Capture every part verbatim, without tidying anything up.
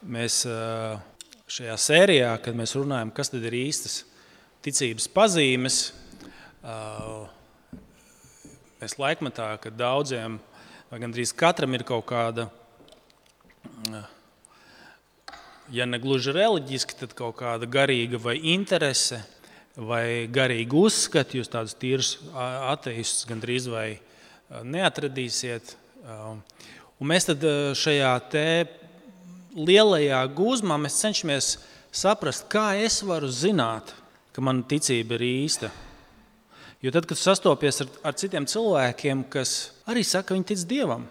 Mēs šajā sērijā, kad mēs runājam, kas tad ir īstas ticības pazīmes, mēs laikmetā, kad daudziem, vai gandrīz katram ir kaut kāda, ja ne gluži reliģiski, tad kaut kāda garīga vai interese, vai garīga uzskati, jūs tādus tīrus ateistus gandrīz vai neatradīsiet. Un mēs tad šajā te lielajā gūzmā mēs cenšamies saprast, kā es varu zināt, ka mana ticība ir īsta. Jo tad, kad sastopies ar, ar citiem cilvēkiem, kas arī saka, ka viņi tic Dievam,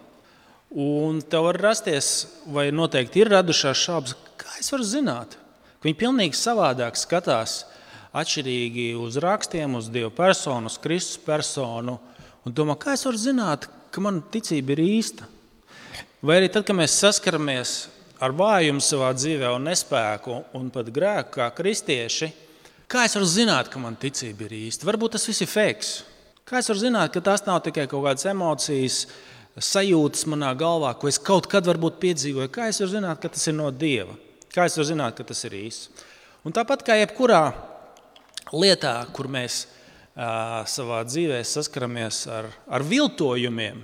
un tev var rasties, vai noteikti ir radušās šaubas, kā es varu zināt, ka viņi pilnīgi savādāk skatās atšķirīgi uz rakstiem, uz Dieva personu, uz Kristus personu, un domā, kā es varu zināt, ka mana ticība ir īsta. Vai arī tad, kad mēs saskaramies ar vājumu savā dzīvē un nespēku un pat grēku kā kristieši, kā es varu zināt, ka man ticība ir īsta? Varbūt tas viss ir fakes. Kā es varu zināt, ka tas nav tikai kaut kādas emocijas, sajūtas manā galvā, ko es kaut kad varbūt piedzīvoju? Kā es varu zināt, ka tas ir no Dieva? Kā es varu zināt, ka tas ir īsts? Un tāpat kā jebkurā lietā, kur mēs uh, savā dzīvē saskaramies ar, ar viltojumiem,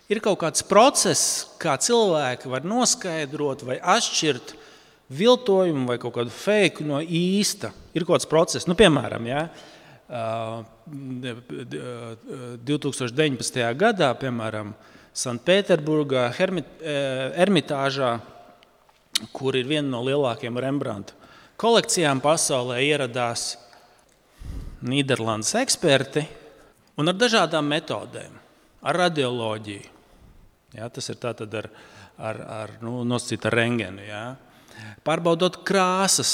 ir kaut kāds process, kā cilvēki var noskaidrot vai atšķirt viltojumu vai kaut kādu fake no īsta. Ir kaut kāds process. Nu, piemēram, ja, divtūkstoš deviņpadsmitajā gadā, piemēram, Sanktpēterburgā, Ermitāžā, kur ir viena no lielākajām Rembrandta kolekcijām pasaulē, ieradās Nīderlandes eksperti un ar dažādām metodēm, ar radioloģiju. Ja, tas ir tātad ar, ar, ar nu, nosacīt ar rengenu, ja. Pārbaudot krāsas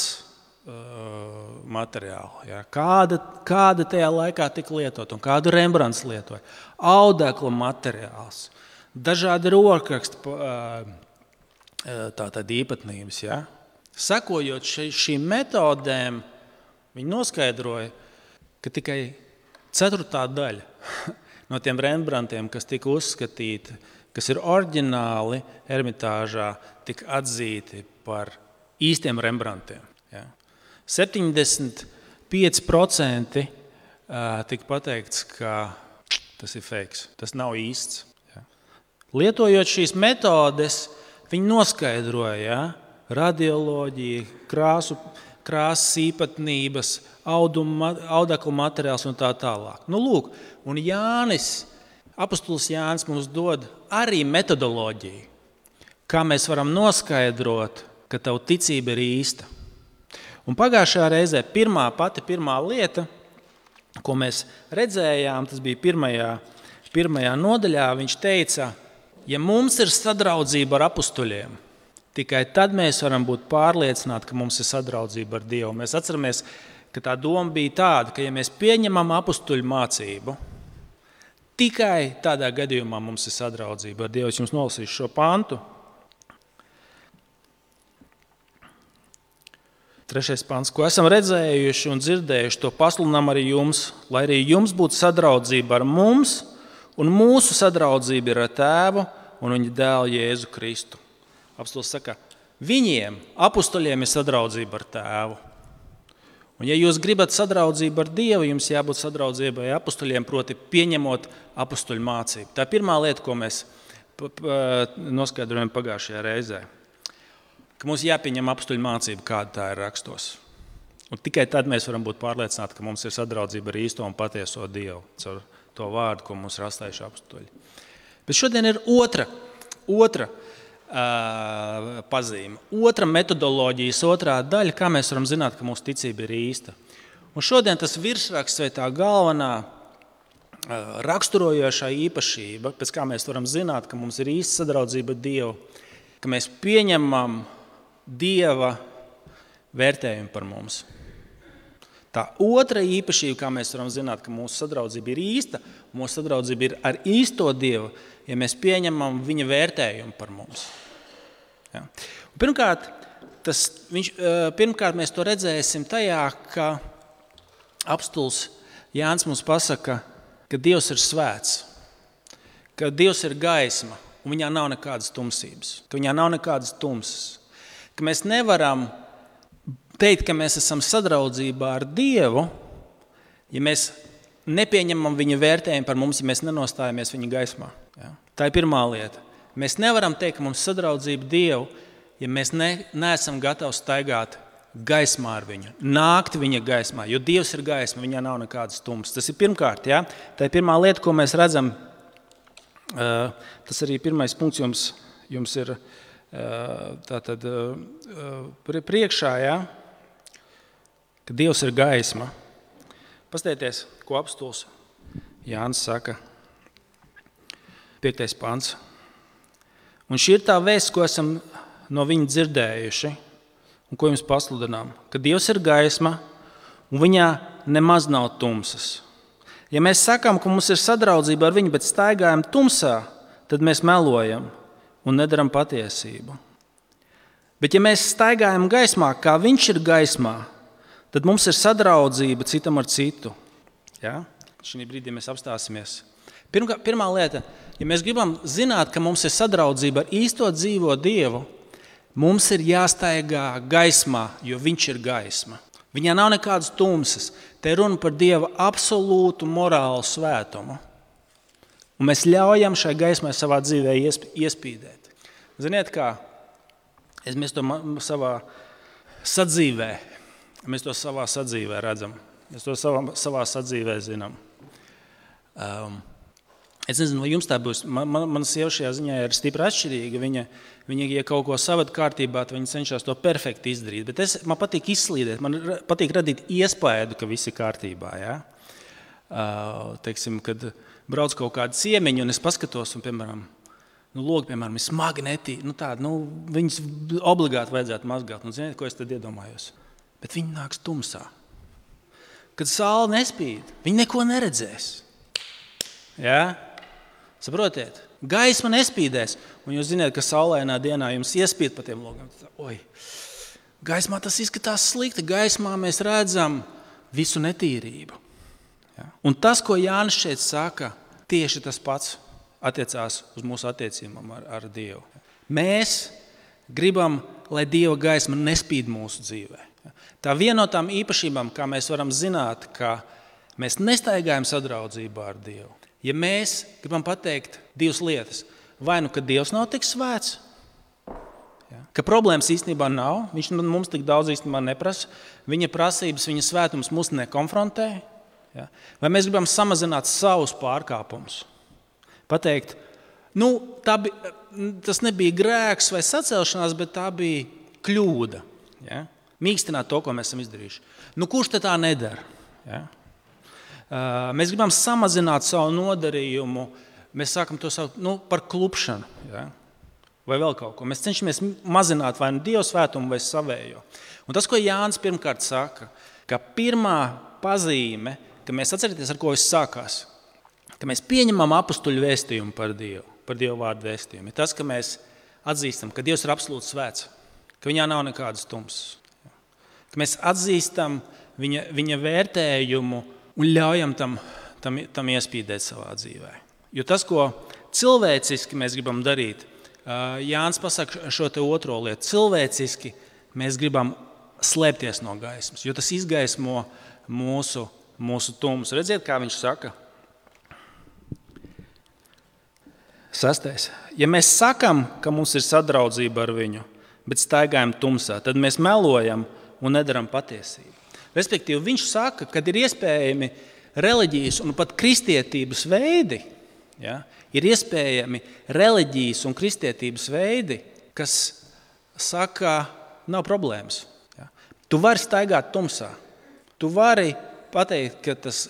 uh, materiālu, ja. kāda, kāda tajā laikā tika lietot un kādu Rembrandts lietoja. Audekla materiāls, dažādi rokraksti uh, tātad īpatnības. Ja. Sekojot ši, šīm metodēm, viņi noskaidroja, ka tikai ceturtā daļa no tiem Rembrandtiem, kas tika uzskatīti, kas ir oriģināli Ermitāžā, tika atzīti par īstiem Rembrandtiem. Ja. septiņdesmit pieci procenti tika pateikts, ka tas ir fakes, tas nav īsts. Ja. Lietojot šīs metodes, viņi noskaidroja, ja, radioloģiju, krāsu, krāsas īpatnības, audeklu materiāls un tā tālāk. Nu, lūk, un Jānis, apostols Jānis mums dod arī metodoloģiju, kā mēs varam noskaidrot, ka tava ticība ir īsta. Un pagājušajā reizē pirmā, pati pirmā lieta, ko mēs redzējām, tas bija pirmajā, pirmajā nodaļā, viņš teica, ja mums ir sadraudzība ar apostoļiem, tikai tad mēs varam būt pārliecināti, ka mums ir sadraudzība ar Dievu. Mēs atceramies, ka tā doma bija tāda, ka ja mēs pieņemam apostoļu mācību, tikai tādā gadījumā mums ir sadraudzība ar Dievu. Es jums nolasīšu šo pantu. Trešais pants. Ko esam redzējuši un dzirdējuši, to pasludinām arī jums, lai arī jums būtu sadraudzība ar mums, un mūsu sadraudzība ir ar Tēvu un viņa dēlu Jēzu Kristu. Apostols saka, viņiem, apostoļiem, ir sadraudzība ar Tēvu. Un ja jūs gribat sadraudzību ar Dievu, jums jābūt sadraudzībai apostoļiem, proti pieņemot apostoļu mācību. Tā ir pirmā lieta, ko mēs noskaidrojam pagājušajā reizē. Ka mums jāpieņem apostoļu mācību, kāda tā ir rakstos. Un tikai tad mēs varam būt pārliecināti, ka mums ir sadraudzība ar īsto un patieso Dievu, caur to vārdu, ko mums ir atstājuši apostoļi. Bet šodien ir otra, otra uh, pazīme, otra metodoloģijas, otrā daļa, kā mēs varam zināt, ka mūsu ticība ir īsta. Un šodien tas virsraksts vai tā galvenā uh, raksturojošā īpašība, pēc kā mēs varam zināt, ka mums ir īsta sadraudzība ar Dievu, ka mēs pieņemam Dieva vērtējumu par mums. Tā otra īpašība, kā mēs varam zināt, ka mūsu sadraudzība ir īsta, mūsu sadraudzība ir ar īsto Dievu, ja mēs pieņemam viņa vērtējumu par mums. Ja. Pirmkārt, tas, viņš, pirmkārt, mēs to redzēsim tajā, ka apostols Jānis mums pasaka, ka Dievs ir svēts, ka Dievs ir gaisma, un viņā nav nekādas tumsības, ka viņā nav nekādas tumsas. ka mēs nevaram teikt, ka mēs esam sadraudzībā ar Dievu, ja mēs nepieņemam viņa vērtējumu par mums, ja mēs nenostājamies viņa gaismā. Ja? Tā ir pirmā lieta. Mēs nevaram teikt, ka mums sadraudzība Dievu, ja mēs ne, neesam gatavi staigāt gaismā ar viņu, nākt viņa gaismā, jo Dievs ir gaisma, viņā nav nekādas tumsas. Tas ir pirmkārt, ja? Tā ir pirmā lieta, ko mēs redzam. Uh, tas arī pirmais punkts jums, jums ir uh, tātad, uh, priekšā, ja? Ka Dievs ir gaisma. Pastieties, ko apstults Jānis saka, piektais pants. Un šī ir tā vēsts, ko esam no viņa dzirdējuši, un ko jums pasludinām, ka Dievs ir gaisma, un viņā nemaz nav tumsas. Ja mēs sakām, ka mums ir sadraudzība ar viņu, bet staigājam tumsā, tad mēs melojam un nedaram patiesību. Bet ja mēs staigājam gaismā, kā viņš ir gaismā, tad mums ir sadraudzība citam ar citu. Ja? Šī brīdī mēs apstāsimies. Pirmā, pirmā lieta, ja mēs gribam zināt, ka mums ir sadraudzība ar īsto dzīvo Dievu, mums ir jāstaigā gaismā, jo viņš ir gaisma. Viņā nav nekādas tumsas. Te ir runa par Dieva absolūtu morālu svētumu. Un mēs ļaujam šai gaismai savā dzīvē iespīdēt. Ziniet kā? Mēs to savā sadzīvē, mēs to savā sadzīvē redzam. Mēs to savā, savā sadzīvē zinām. Um, Es nezinu, vai jums tā būs. Man, man, mana sieva šajā ziņā ir stipri atšķirīga. Viņa, viņa ja kaut ko savada kārtībā, tad viņa cenšas to perfekti izdarīt. Bet es, man patīk izslīdēt, man patīk radīt iespēju, ka viss ir kārtībā. Ja? Uh, teiksim, kad brauc kaut kādu ciemiņu, un es paskatos, un, piemēram, nu, logi, piemēram, ir smagi netī. Nu, tāda, nu, viņas obligāti vajadzētu mazgāt. Un ziniet, ko es tad iedomājos? Bet viņi nāks tumsā. Kad saule nespīd, viņi neko neredzēs. Ja? Saprotiet, gaisma nespīdēs, un jūs zināt, ka saulainā dienā jums iespīd pa tiem logiem. Oi, gaismā tas izskatās slikti, gaismā mēs redzam visu netīrību. Ja? Un tas, ko Jānis šeit saka, tieši tas pats attiecās uz mūsu attiecībām ar, ar Dievu. Mēs gribam, lai Dieva gaisma nespīd mūsu dzīvē. Ja? Tā viena no tām īpašībām, kā mēs varam zināt, ka mēs nestaigājam sadraudzībā ar Dievu. Ja mēs gribam pateikt divas lietas, vai nu, ka Dievs nav tik svēts, ja, ka problēmas īstenībā nav, viņš mums tik daudz īstenībā neprasa, viņa prasības, viņa svētums mūs nekonfrontē, ja, vai mēs gribam samazināt savus pārkāpumus, pateikt, nu, tā bija, tas nebija grēks vai sacelšanās, bet tā bija kļūda, ja, mīkstināt to, ko mēs esam izdarījuši. Nu, kurš te tā nedara? Ja? Mēs gribam samazināt savu nodarījumu, mēs sākam to saukt nu, par klupšanu, ja? Vai vēl kaut ko. Mēs cenšamies mazināt vai nu Dieva svētumu vai savējo. Un tas, ko Jānis pirmkārt saka, ka pirmā pazīme, ka mēs atcerieties, ar ko viss sākās, ka mēs pieņemam apustuļu vēstījumu par Dievu, par Dievu vārdu vēstījumu, ir tas, ka mēs atzīstam, ka Dievs ir absolūti svēts, ka viņā nav nekādas tumsas, ka mēs atzīstam viņa, viņa vērtējumu un ļaujam tam, tam, tam iespīdēt savā dzīvē. Jo tas, ko cilvēciski mēs gribam darīt, Jānis pasaka šo te otro lietu. Cilvēciski mēs gribam slēpties no gaismas, jo tas izgaismo mūsu, mūsu tumsu. Redziet, kā viņš saka? Sastais. Ja mēs sakam, ka mums ir sadraudzība ar viņu, bet staigājam tumsā, tad mēs melojam un nedaram patiesību. Respektīvi, viņš saka, ka ir iespējami reliģijas un pat kristietības veidi, ja, ir iespējami reliģijas un kristietības veidi, kas saka, nav problēmas. Ja. Tu vari staigāt tumsā. Tu vari pateikt, ka tas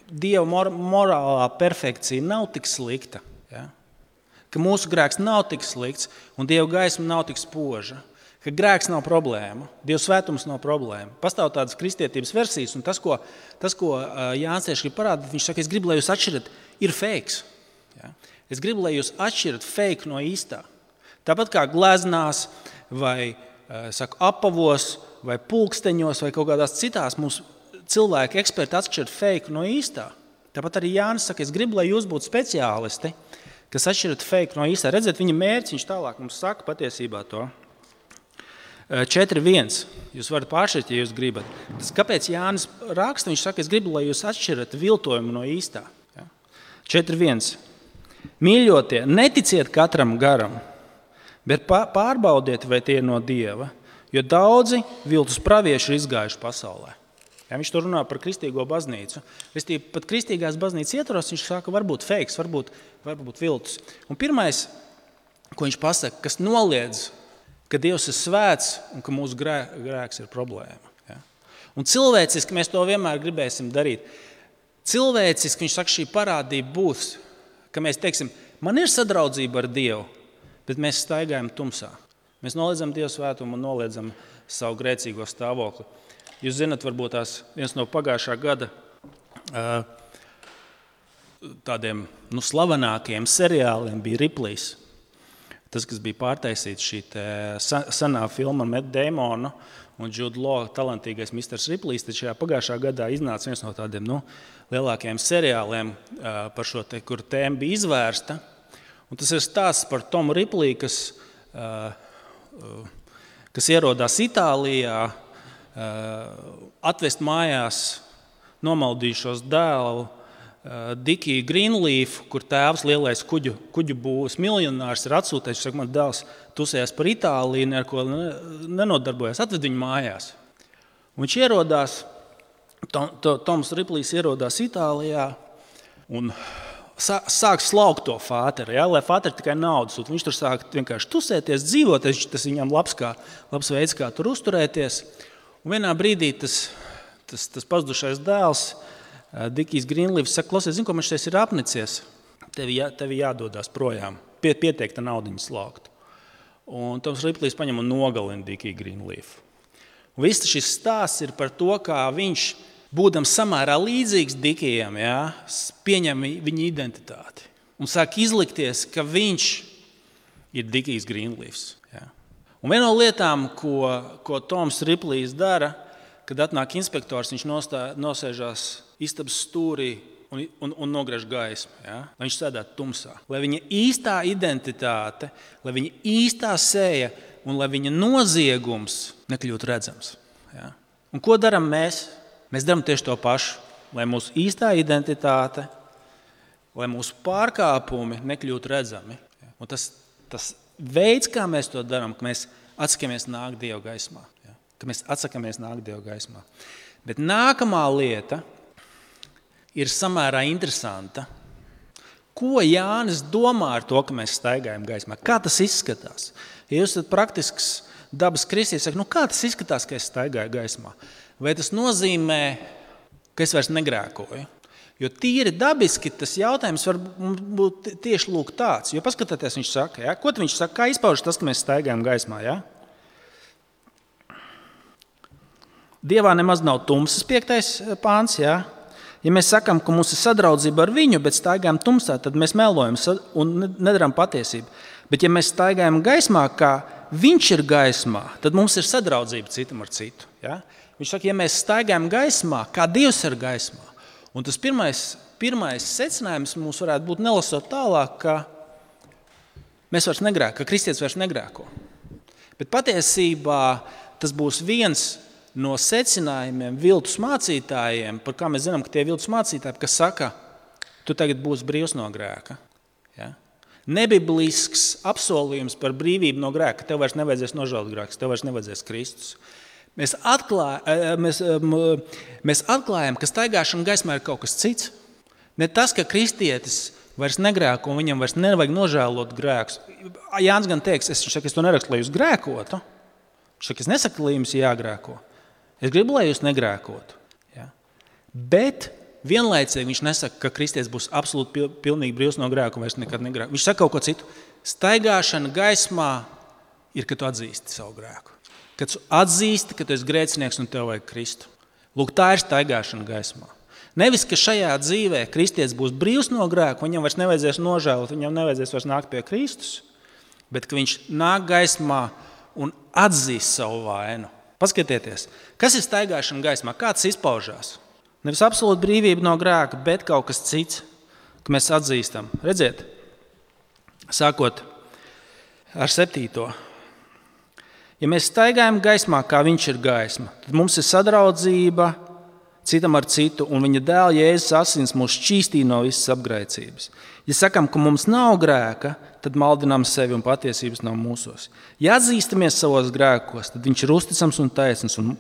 Dieva mor- morālā perfekcija nav tik slikta, ja, ka mūsu grēks nav tik slikts un Dieva gaisma nav tik spoža. Ka grēks nav problēma, Dieva svētums nav problēma. Pastāv tādas kristietības versijas, un tas, ko, tas, ko Jānis tieši grib parādīt, viņš saka, es gribu, lai jūs atšķirat, ir fakes. Ja? Es gribu, lai jūs atšķirat fake no īstā. Tāpat kā gleznās, vai saku, apavos, vai pulksteņos, vai kaut kādās citās mums cilvēki eksperti atšķirat fake no īstā. Tāpat arī Jānis saka, es gribu, lai jūs būtu speciālisti, kas atšķirat fake no īstā. Redziet, viņa mērķis, viņš tālāk mums saka patiesībā to. četri viens. Jūs varat pāršķirt, ja jūs gribat. Tas, kāpēc Jānis raksta, viņš saka, es gribu, lai jūs atšķirat viltojumu no īstā. Ja? četri viens. Mīļotie, neticiet katram garam, bet pārbaudiet, vai tie ir no Dieva, jo daudzi viltus pravieši ir izgājuši pasaulē. Ja, viņš tur runā par kristīgo baznīcu. Restīvi, pat kristīgās baznīcas ietvaros viņš saka, varbūt feiks, varbūt, varbūt viltus. Un pirmais, ko viņš pasaka, kas noliedz, ka Dievs ir svēts un ka mūsu grē, grēks ir problēma. Ja? Un cilvēciski mēs to vienmēr gribēsim darīt. Cilvēciski viņš saka, šī parādība būs, ka mēs teiksim, man ir sadraudzība ar Dievu, bet mēs staigājam tumsā. Mēs noliedzam Dievu svētumu un noliedzam savu grēcīgo stāvokli. Jūs zinat, varbūt tās viens no pagājušā gada tādiem nu, slavenākajiem seriāliem bija Ripley's. Tas, kas bija pārtaisīts šī senā filma Matt Damonu un Jude Law talantīgais misters Ripley's, tad šajā pagājušā gadā iznāca viens no tādiem nu, lielākajiem seriāliem par šo, te, kur tēma bija izvērsta. Un tas ir stāsts par Tomu Ripley, kas, kas ierodās Itālijā, atvest mājās nomaldījušos dēlu Dikiju Greenleaf, kur tēvs lielais kuģu, kuģu būvs miljonārs ir atsūtējis, saka, man dēls tusējās par Itāliju, neko nenodarbojas, atved viņu mājās. Un viņš ierodās, Tom, Toms Ripleys ierodās Itālijā un sāk slaukt to fāteri, ja, lai fāteri tikai naudas. Un viņš tur sāk vienkārši tusēties, dzīvot, tas viņam labs, kā, labs veids, kā tur uzturēties. Un vienā brīdī tas, tas, tas pazudušais dēls, Dikijs Greenleafs saka, klausies, zinu, ko man šeit ir apnicies, tevi, jā, tevi jādodās projām, Pie, pieteikta naudiņu slaukt. Un Toms Ripleys paņem un nogalina Dikiju Greenleafu. Un viss šis stāsts ir par to, kā viņš, būdams samērā līdzīgs Dikijam, jā, pieņem viņa identitāti un sāk izlikties, ka viņš ir Dikijs Greenleafs. Jā. Un viena no lietām, ko, ko Toms Ripleys dara, kad atnāk inspektors, viņš nostā, nosēžās istabas stūrī un, un, un nogriež gaismu, ja? Lai viņš sēdētu tumsā. Lai viņa īstā identitāte, lai viņa īstā seja un lai viņa noziegums nekļūtu redzams. Ja? Un ko daram mēs? Mēs daram tieši to pašu. Lai mūsu īstā identitāte, lai mūsu pārkāpumi nekļūtu redzami. Ja? Un tas, tas veids, kā mēs to darām, ka mēs atsakamies nākt Dieva gaismā. Ja? Ka mēs atsakamies nākt Dieva gaismā. Bet nākamā lieta ir samērā interesanta. Ko Jānis domā ar to, ka mēs staigājam gaismā? Kā tas izskatās? Ja jūs esat praktisks dabas kristietis, saka, nu kā tas izskatās, ka es staigāju gaismā? Vai tas nozīmē, ka es vairs negrēkoju? Jo tīri dabiski tas jautājums var būt tieši lūk tāds. Jo paskatieties, viņš saka, ja? Ko viņš saka? Kā izpaužas tas, ka mēs staigājam gaismā? Ja? Dievā nemaz nav tumsas piektais pāns, ja? Ja mēs sakām, ka mums ir sadraudzība ar viņu, bet staigājam tumsā, tad mēs melojam un nedarām patiesību. Bet ja mēs staigājam gaismā, kā viņš ir gaismā, tad mums ir sadraudzība citam ar citu. Ja? Viņš saka, ja mēs staigājam gaismā, kā Dievs ir gaismā. Un tas pirmais, pirmais secinājums mums varētu būt nelasot tālāk, ka mēs vairs negrēko, ka kristietis vairs negrēko. Bet patiesībā tas būs viens no secinājumiem viltus mācītājiem, par kā mēs zinām, ka tie viltus mācītāji, kas saka, tu tagad būsi brīvs no grēka. Ja? Nebiblisks apsolījums par brīvību no grēka, ka tev vairs nevajadzēs nožēlot grēkus, tev vairs nevajadzēs Kristus. Mēs, atklāj, mēs, mēs atklājam, ka staigāšana gaismā ir kaut kas cits. Ne tas, ka kristietis vairs negrēko un viņam vairs nevajag nožēlot grēkus. Jānis gan teiks, es, saka, es to nerakstu, lai jūs grēkotu. Viņš saka, es nesaku, lai jums jāgrēko. Es gribu, lai jūs negrēkotu. Ja? Bet vienlaicīgi viņš nesaka, ka kristietis būs absolūti pilnīgi brīvs no grēka un vairs nekad negrēko. Viņš saka kaut ko citu. Staigāšana gaismā ir, kad tu atzīsti savu grēku. Kad tu atzīsti, ka tu esi grēcinieks un tev vajag Kristu. Lūk, tā ir staigāšana gaismā. Nevis, ka šajā dzīvē kristietis būs brīvs no grēka, viņam vairs nevajadzēs nožēlot, viņam nevajadzēs vairs nākt pie Kristus, bet ka viņš nāk gaismā un atzīst savu vainu. Paskatieties, kas ir staigāšana gaismā, kā tas izpaužās? Nevis absolūta brīvība no grēka, bet kaut kas cits, ka mēs atzīstam. Redziet, sākot ar septīto. Ja mēs staigājam gaismā, kā viņš ir gaisma, tad mums ir sadraudzība citam ar citu, un viņa dēla Jēzus asins mūs šķīstīja no visas apgrēcības. Ja sakam, ka mums nav grēka, tad maldinām sevi un patiesības nav mūsos. Ja atzīstamies savos grēkos, tad viņš ir uzticams un taisns un,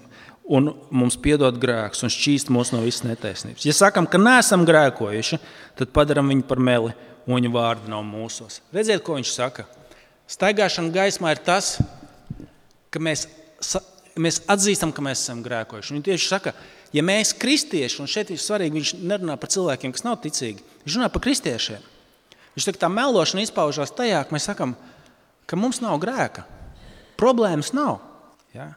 un mums piedod grēkus un šķīst mūs no visas netaisnības. Ja sakam, ka neesam grēkojuši, tad padaram viņu par meli un viņa vārdi nav mūsos. Redziet, ko viņš saka? Staigāšana gaismā ir tas, ka mēs, mēs atzīstam, ka mēs esam grēkojuši. Viņš tieši saka, ja mēs kristieši, un šeit ir svarīgi, viņš nerunā par cilvēkiem, kas nav ticīgi, viņš runā par kristiešiem. Viņš saka, tā melošana izpaužās tajā, ka mēs sakam, ka mums nav grēka. Problēmas nav. Ja?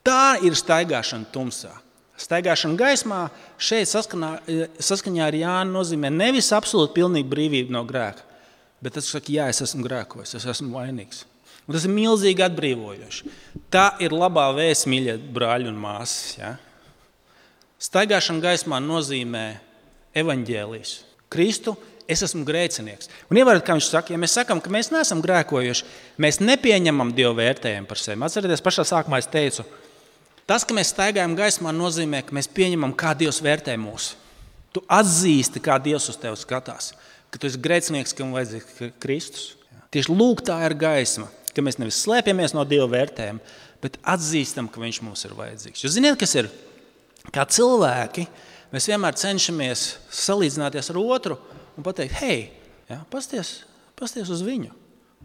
Tā ir staigāšana tumsā. Staigāšana gaismā šeit saskanā, saskaņā ar Jānu nozīmē nevis absolūti pilnīga brīvība no grēka, bet tas saka, jā, es esmu grēkojis, es esmu vainīgs. Un tas ir milzīgi atbrīvojoši. Tā ir labā vēsts, mīļie brāļi un māsas. Ja? Staigāšana gaismā nozīmē evaņģēlijs. Kristu, es esmu grēcinieks. Un ievērt, kā viņš saka, ja mēs sakam, ka mēs neesam grēkojuši, mēs nepieņemam Dievu vērtējumu par sevi. Atcerieties, pašā sākumā es teicu, tas, ka mēs staigājam gaismā, nozīmē, ka mēs pieņemam, kā Dievs vērtē mūs. Tu atzīsti, kā Dievs uz tevi skatās, ka tu esi grēcinieks, kam vajadzīgs Kristus. Tieši lūk, tā ir gaisma, ka mēs nevis slēpjamies no Dieva vērtējumu, bet atzīstam, ka viņš mums ir vajadzīgs. Jūs ziniet, kas ir? Kā cilvēki, mēs vienmēr cenšamies salīdzināties ar otru un pateikt, hei, ja, pasties, pasties uz viņu.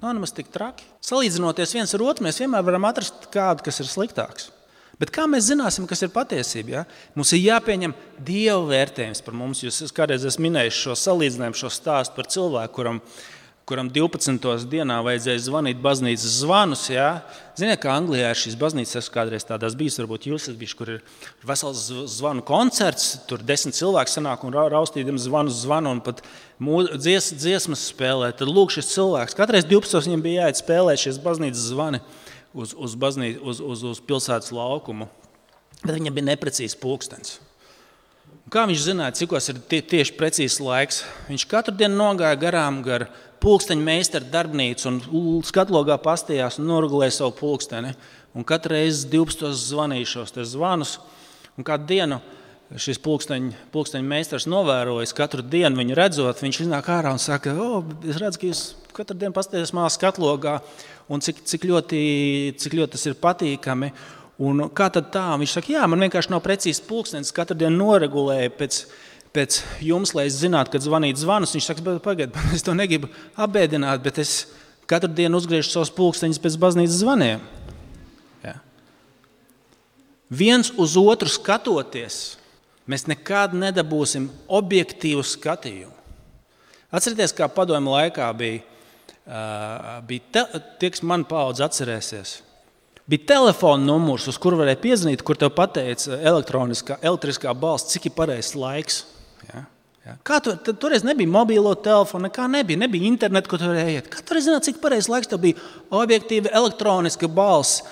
Nav nemaz tik traki. Salīdzinoties viens ar otru, mēs vienmēr varam atrast kādu, kas ir sliktāks. Bet kā mēs zināsim, kas ir patiesība? Ja? Mums ir jāpieņem Dieva vērtējums par mums. Jūs kādreiz esmu minējis šo salīdzinājumu, šo stāstu par cilvēku, kuram, kuram divpadsmitajā dienā vajadzēja zvanīt baznīcas zvanus. Ja? Ziniet, kā Anglijā ir šīs baznīcas, esmu kādreiz tādās bijis, varbūt jūs esat bijuši, kur ir vesels zvanu koncerts, tur desmit cilvēki sanāk un raustīdam zvanu zvanu un pat dzies, dziesmas spēlē. Tad lūk šis cilvēks, katreiz divpadsmitajā viņam bija jāiet spēlēt šīs baznīcas zvani. Uz, uz, baznī, uz, uz, uz pilsētas laukumu, bet viņam bija neprecīzs pulkstenis. Un kā viņš zināja, cikos ir tie, tieši precīzs laiks? Viņš katru dienu nogāja garām gar pulksteņa meistara darbnīcu un skatlogā pastījās un noregulēja savu pulksteni. Un katru reizi divpadsmitajos zvanīja šos te zvanus. Un kādu dienu šis pulksteņa, pulksteņa meistars novērojas, katru dienu viņu redzot, viņš iznāk ārā un saka, o, es redzu, ka jūs katru dienu pastījās mās skatlogā, un cik, cik, ļoti, cik ļoti tas ir patīkami. Un kā tad tā? Viņš saka, jā, man vienkārši nav precīzs pulkstenis, katru dienu noregulēja pēc, pēc jums, lai es zinātu, kad zvanīt zvanus. Viņš saka, pagaid, es to negribu apbēdināt, bet es katru dienu uzgriežu savus pulksteņus pēc baznīcas zvaniem. Ja? Viens uz otru skatoties, mēs nekad nedabūsim objektīvu skatījumu. Atcerieties, kā padomju laikā bija, Uh, bija te, tie, kas man paudze atcerēsies, bija telefona numurs, uz kuru varēja piezvanīt, kur tev pateica elektroniskā, elektriskā balss, cik ir pareizs laiks. Ja? Ja? Kā tu, tad, toreiz nebija mobilo telefonu, nekā nebija, nebija internetu, ko tu varēja iet. Kā tu varēja zināt, cik pareizs laiks tev bija objektīva elektroniska balss,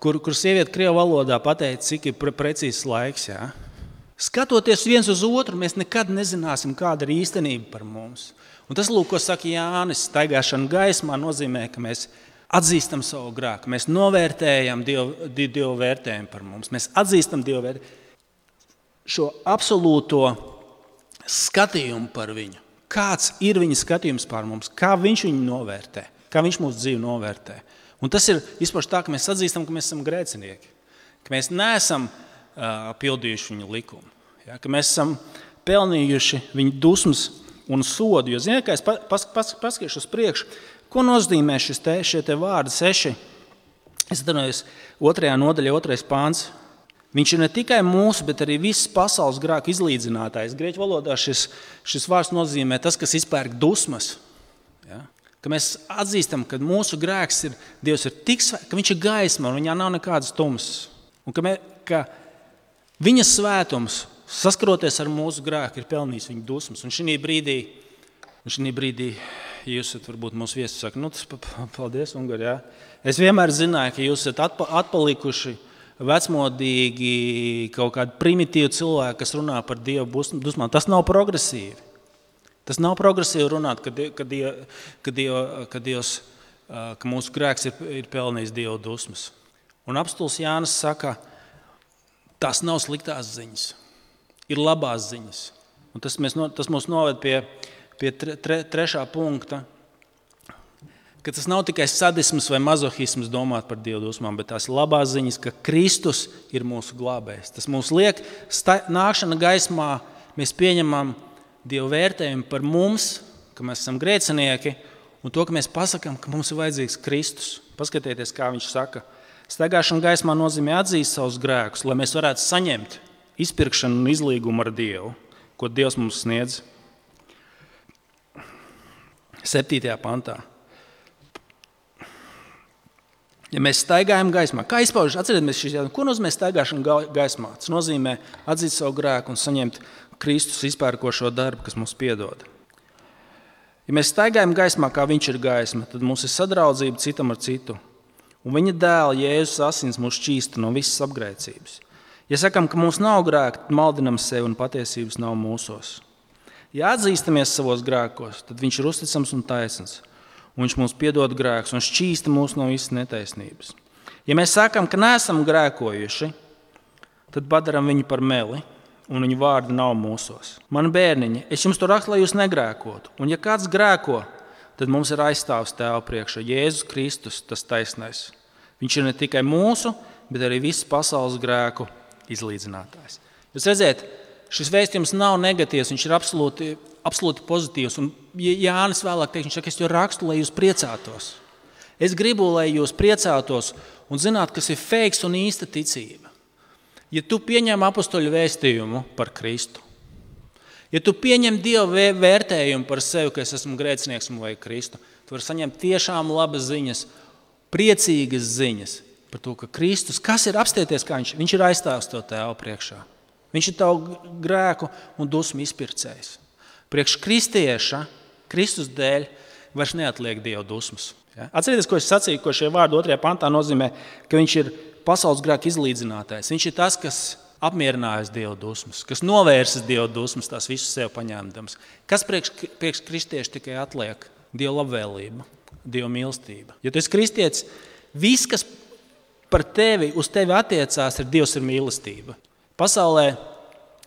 kur, kur sieviete krievu valodā pateica, cik ir pre, precīzs laiks. Ja? Skatoties viens uz otru, mēs nekad nezināsim, kāda ir īstenība par mums. Un tas, lūk, ko saka Jānis, staigāšana gaismā nozīmē, ka mēs atzīstam savu grēku, mēs novērtējam Dievu, Dievu vērtējumu par mums, mēs atzīstam Dievu vērtējumu, šo absolūto skatījumu par viņu. Kāds ir viņa skatījums par mums, kā viņš viņu novērtē, kā viņš mūsu dzīvi novērtē. Un tas ir izpaši tā, ka mēs atzīstam, ka mēs esam grēcinieki, ka mēs neesam uh, pildījuši viņu likumu, ja? Ka mēs esam pelnījuši viņu dusmas un sodu. Jo, ziniet, kā es pas, pas, paskatīšu uz priekšu, ko nozīmē šis te, šie te vārdi seši. Es atvainojos, otrajā nodaļā, otrais pāns. Viņš ir ne tikai mūsu, bet arī visas pasaules grēku izlīdzinātājs. Grieķu valodā šis, šis vārds nozīmē tas, kas izpērk dusmas. Ja? Ka mēs atzīstam, ka mūsu grēks ir, Dievs ir tik svēts, ka viņš ir gaisma un viņā nav nekādas tumsas. Un ka, mē, ka viņa svētums saskaroties ar mūsu grēku, ir pelnījis viņa dusmas. Un šī brīdī, un šī brīdī, ja jūs esat varbūt mūsu viesi, saka, nu tas paldies, Ungar, jā. Es vienmēr zināju, ka jūs esat atpa, atpalikuši vecmodīgi, kaut kādi primitīvi cilvēki, kas runā par Dievu dusmām. Tas nav progresīvi. Tas nav progresīvi runāt, ka, die, ka, die, ka, die, ka Dievs ka mūsu grēks ir, ir pelnījis Dieva dusmas. Un apostols Jānis saka, tās nav sliktās ziņas, ir labās ziņas. Un tas, mēs, tas mūs noved pie, pie tre, tre, trešā punkta, ka tas nav tikai sadisms vai mazohisms domāt par Dieva dusmām, bet tās ir labās ziņas, ka Kristus ir mūsu glābējs. Tas mūs liek sta, nākšana gaismā, mēs pieņemam Dieva vērtējumu par mums, ka mēs esam grēcinieki, un to, ka mēs pasakām, ka mums ir vajadzīgs Kristus. Paskatieties, kā viņš saka. Staigāšana gaismā nozīmē atzīst savus grēkus, lai mēs varētu saņemt izpirkšanu un izlīgumu ar Dievu, ko Dievs mums sniedz. Septītajā pantā. Ja mēs staigājam gaismā, kā izpaužas, atcerieties šīs jautājumus, ko nozīmē staigāšana gaismā? Tas nozīmē atzīt savu grēku un saņemt Kristus izpērkošo darbu, kas mums piedod. Ja mēs staigājam gaismā, kā viņš ir gaisma, tad mums ir sadraudzība citam ar citu. Un viņa dēla Jēzus asins mūs šķīsta no visas apgrēcības. Ja sakam, ka mums nav grēka, tad maldinam sevi un patiesības nav mūsos. Ja atzīstamies savos grēkos, tad viņš ir uzticams un taisns. Un viņš mums piedod grēkus un šķīsta mūs no visas netaisnības. Ja mēs sakam, ka neesam grēkojuši, tad padaram viņu par meli, un viņu vārdi nav mūsos. Mani bērniņi, es jums to rakstu, lai jūs negrēkotu. Un ja kāds grēko, tad mums ir aizstāvs Tēva priekšā. Jēzus Kristus, tas taisnais. Viņš ir ne tikai mūsu, bet arī visas pasaules grēku izlīdzinātājs. Jūs redziet, šis vēstījums nav negatīvs, viņš ir absolūti, absolūti pozitīvs. Un Jānis vēlāk teikt, viņš saka, es to rakstu, lai jūs priecātos. Es gribu, lai jūs priecātos un zinātu, kas ir feiks un īsta ticība. Ja tu pieņem apostoļu vēstījumu par Kristu, ja tu pieņem Dieva vērtējumu par sevi, ka es esmu grēcinieks un vajag Kristu, tu vari saņemt tiešām labas ziņas, priecīgas ziņas par to, ka Kristus, kas ir apstieties, kā viņš, viņš ir aizstāvs to Tēva priekšā. Viņš ir tavu grēku un dusmu izpircējs. Priekš kristieša, Kristus dēļ, vairs neatliek Dieva dusmas. Ja? Atcerieties, ko es sacīju, ko šie vārdi otrajā pantā nozīmē, ka viņš ir pasaules grēku izlīdzinātājs. Viņš ir tas, kas apmierinājas Dieva dusmas, kas novērsas Dieva dusmas, tās visus sev paņēmdams. Kas priekš, priekš kristieši tikai atliek? Dieva labvēlība, Dieva mīlestība. Ja tu esi kristietis, viss, kas par tevi, uz tevi attiecās, ir Dievs ir mīlestība. Pasaulē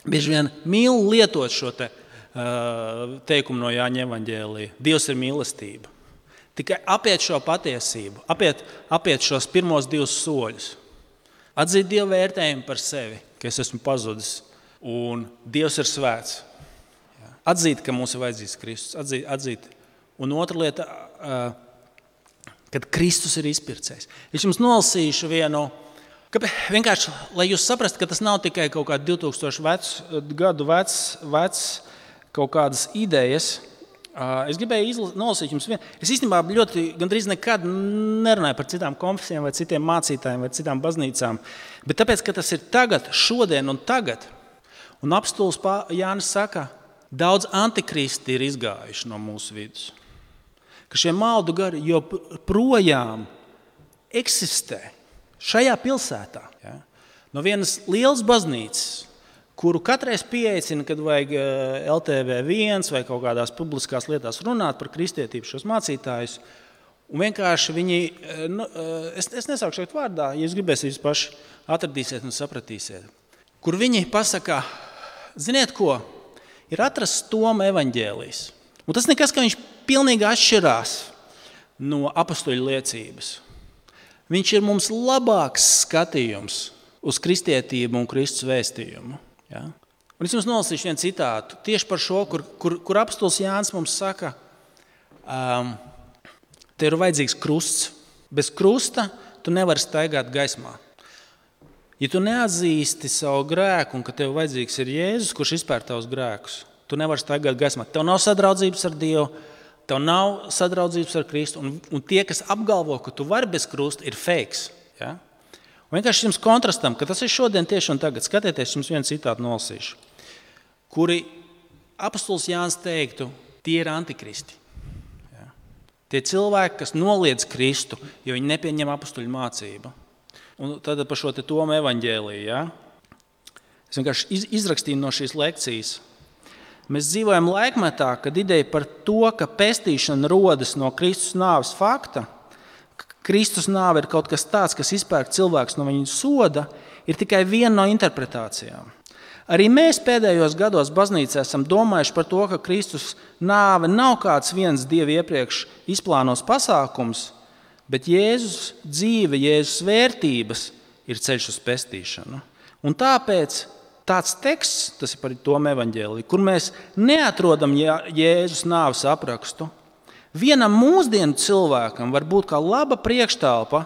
bieži vien mīl lietot šo te, uh, teikumu no Jāņa evaņģēlija. Dievs ir mīlestība. Tikai apiet šo patiesību, apiet, apiet šos pirmos divus soļus. Atzīt Dieva vērtējumu par sevi, ka es esmu pazudis un Dievs ir svēts. Atzīt, ka mums ir vajadzīgs Kristus. Atzīt, atzīt. Un otra lieta, kad Kristus ir izpircējs. Es jums nolasīšu vienu, ka vienkārši, lai jūs saprastu, ka tas nav tikai kaut kādi divi tūkstoši vecs, gadu vecs, vecs kaut kādas idejas. Es gribēju izla- nolasīt jums vienu. Es īstenībā ļoti gandrīz nekad nerunāju par citām konfesijām vai citiem mācītājiem vai citām baznīcām, bet tāpēc, ka tas ir tagad, šodien un tagad, un apostols Jānis saka, daudz antikristi ir izgājuši no mūsu vidus, ka šie maldu gari joprojām eksistē šajā pilsētā. Ja? No vienas lielas baznīcas, kuru katreiz pieaicina, kad vajag L T V viens vai kaut kādās publiskās lietās runāt par kristietību šos mācītājus. Un vienkārši viņi, nu, es, es nesaukšu šeit vārdā, ja jūs gribēsiet, jūs paši atradīsiet un sapratīsiet. Kur viņi pasaka, ziniet ko, ir atrasts Toma evaņģēlijs. Un tas nekas, ka viņš pilnīgi atšķirās no apostoļu liecības. Viņš ir mums labāks skatījums uz kristietību un Kristus vēstījumu. Ja? Un es jums nolasīšu vienu citātu tieši par šo, kur, kur, kur apostols Jānis mums saka, um, te ir vajadzīgs krusts. Bez krusta tu nevari staigāt gaismā. Ja tu neatzīsti savu grēku un ka tev vajadzīgs ir Jēzus, kurš izpēr tavus grēkus, tu nevari staigāt gaismā. Tev nav sadraudzības ar Dievu, tev nav sadraudzības ar Kristu, un, un tie, kas apgalvo, ka tu vari bez krusta, ir fakes. Ja? Un vienkārši jums kontrastam, ka tas ir šodien tieši un tagad. Skatieties, jums vienu citātu nolasīšu, kuri apostols Jānis teiktu, tie ir antikristi. Ja? Tie cilvēki, kas noliedz Kristu, jo viņi nepieņem apostoļu mācību. Un tad par šo te Toma evaņģēliju. Ja? Es vienkārši iz, izrakstīju no šīs lekcijas. Mēs dzīvojam laikmetā, kad ideja par to, ka pestīšana rodas no Kristus nāves fakta, Kristus nāve ir kaut kas tāds, kas izpērk cilvēks no viņa soda, ir tikai viena no interpretācijām. Arī mēs pēdējos gados baznīcā esam domājuši par to, ka Kristus nāve nav kāds viens Dieva iepriekš izplānos pasākums, bet Jēzus dzīve, Jēzus vērtības ir ceļš uz pestīšanu. Un tāpēc tāds teksts, tas ir par Toma evaņģēliju, kur mēs neatrodam Jēzus nāves aprakstu, vienam mūsdienu cilvēkam var būt kā laba priekštelpa,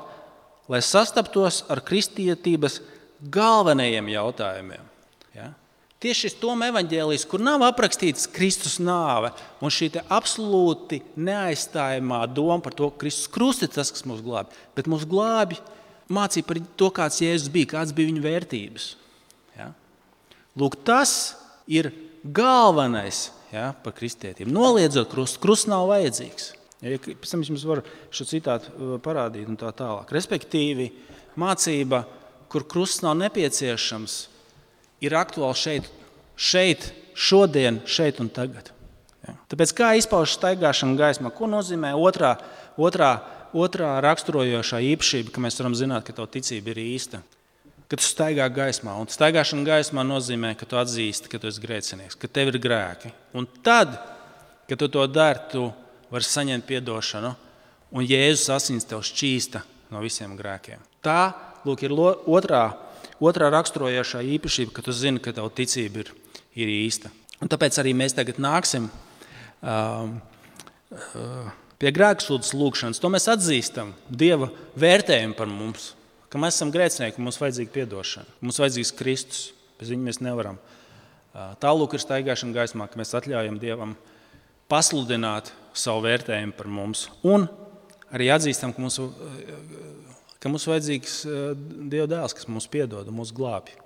lai sastaptos ar kristietības galvenajiem jautājumiem. Ja? Tieši šis Toma evaņģēlijs, kur nav aprakstīts Kristus nāve un šī te absolūti neaizstājamā doma par to, ka Kristus krusts ir tas, kas mūs glābi, bet mūs glābi mācīja par to, kāds Jēzus bija, kāds bija viņa vērtības. Ja? Lūk, tas ir galvenais, ja, par kristietību. Noliedzot krustu, krusts nav vajadzīgs. Ja, pēc tam es jums varu šo citātu parādīt un tā tālāk. Respektīvi, mācība, kur krusts nav nepieciešams, ir aktuāli šeit, šeit, šodien, šeit un tagad. Ja. Tāpēc kā izpaužas staigāšana gaismā? Ko nozīmē otrā, otrā, otrā raksturojošā īpašība, ka mēs varam zināt, ka tava ticība ir īsta? Kad tu staigā gaismā. Un staigāšana gaismā nozīmē, ka tu atzīsti, ka tu esi grēcinieks, ka tev ir grēki. Un tad, kad tu to dari, tu vari saņemt piedošanu, un Jēzus asins tev šķīsta no visiem grēkiem. Tā, lūk, ir otrā, otrā raksturojošā īpašība, ka tu zini, ka tava ticība ir, ir īsta. Un tāpēc arī mēs tagad nāksim um, uh, pie grēksūdzes lūkšanas. To mēs atzīstam Dieva vērtējumu par mums. Ka mēs esam grēcinieki, mums vajadzīga piedošana, mums vajadzīgs Kristus, bez viņa mēs nevaram. Tālūk ir staigāšana gaismā, ka mēs atļaujam Dievam pasludināt savu vērtējumu par mums. Un arī atzīstam, ka mums, ka mums vajadzīgs Dieva dēls, kas mums piedod un mūs glābj.